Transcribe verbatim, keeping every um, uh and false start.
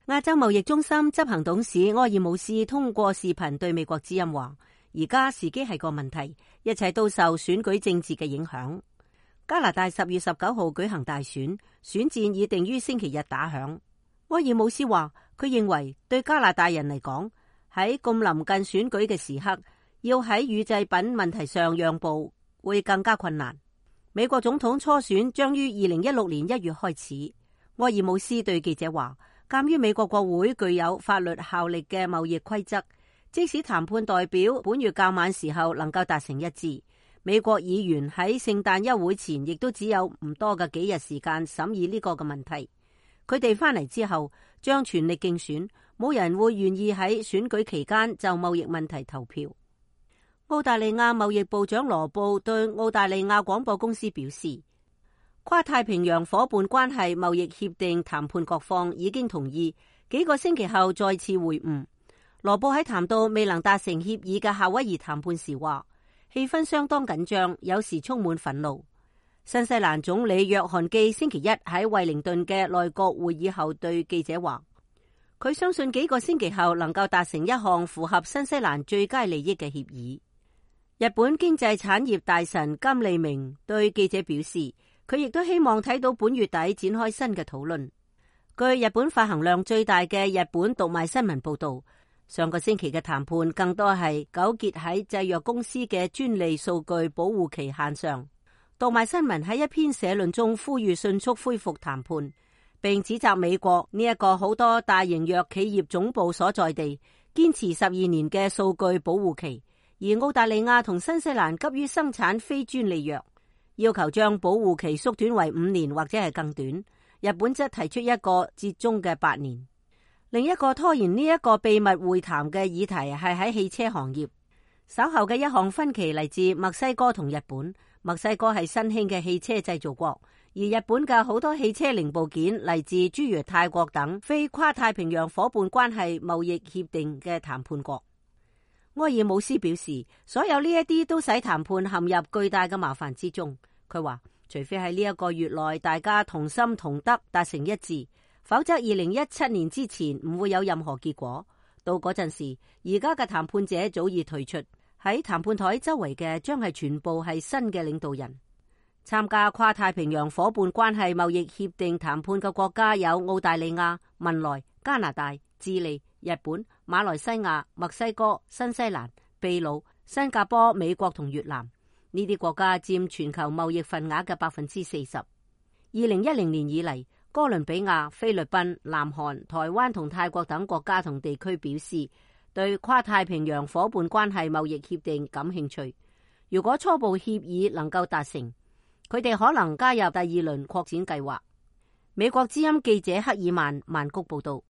亞洲貿易中心執行董事埃爾姆斯通過視頻對美國之音話：而家時機係個問題，一切都受選舉政治嘅影響。加拿大十月十九號舉行大選，選戰已定於星期日打響。埃爾姆斯話：佢認為對加拿大人嚟講，喺咁臨近選舉嘅時刻，要喺乳製品問題上讓步會更加困難。美國總統初選將於二零一六年一月開始。埃爾姆斯對記者話：鑒於美國國會具有法律效力嘅貿易規則，即使談判代表本月較晚時候能夠達成一致，美國議員喺聖誕休會前亦都只有唔多嘅幾日時間審議呢個嘅問題。佢哋翻嚟之後將全力競選，冇人會願意喺選舉期間就貿易問題投票。澳大利亞貿易部長羅布對澳大利亞廣播公司表示，跨太平洋夥伴關係貿易協定談判各方已經同意，幾個星期後再次會晤。羅布喺談到未能達成協議嘅夏威夷談判時話，氣氛相當緊張，有時充滿憤怒。新西蘭總理約翰基星期一喺惠靈頓嘅內閣會議後對記者話，佢相信幾個星期後能夠達成一項符合新西蘭最佳利益嘅協議。日本經濟產業大臣金利明對記者表示，佢亦都希望睇到本月底展開新嘅討論。據日本發行量最大嘅日本讀賣新聞報道，上個星期嘅談判更多係糾結喺製藥公司嘅專利數據保護期限上。讀賣新聞喺一篇社論中呼籲迅速恢復談判，並指責美國呢一個好多大型藥企業總部所在地堅持十二年嘅數據保護期，而澳大利亞同新西蘭急於生產非專利藥，要求將保護期縮短為五年或者係更短。日本則提出一個折中嘅八年。另一個拖延呢一個秘密會談嘅議題係喺汽車行業。稍後嘅一項分歧嚟自墨西哥同日本。墨西哥係新興嘅汽車製造國，而日本嘅好多汽車零部件嚟自諸如泰國等非跨太平洋夥伴關係貿易協定嘅談判國。埃爾姆斯表示，所有呢一啲都使談判陷入巨大嘅麻煩之中。佢話，除非喺呢一個月內大家同心同德達成一致，否則二零一七年之前唔會有任何結果。到嗰陣時，而家嘅談判者早已退出，喺談判台周圍嘅將係全部係新嘅領導人。參加跨太平洋夥伴關係貿易協定談判嘅國家有澳大利亞、文萊、加拿大、智利、日本、馬來西亞、墨西哥、新西蘭、秘魯、新加坡、美國同越南。呢啲國家佔全球貿易份額嘅百分之四十。二零一零年以嚟，哥倫比亞、菲律賓、南韓、台灣同泰國等國家同地區表示對跨太平洋夥伴關係貿易協定感興趣。如果初步協議能夠達成，佢哋可能加入第二輪擴展計劃。美國之音記者克爾曼曼谷報道。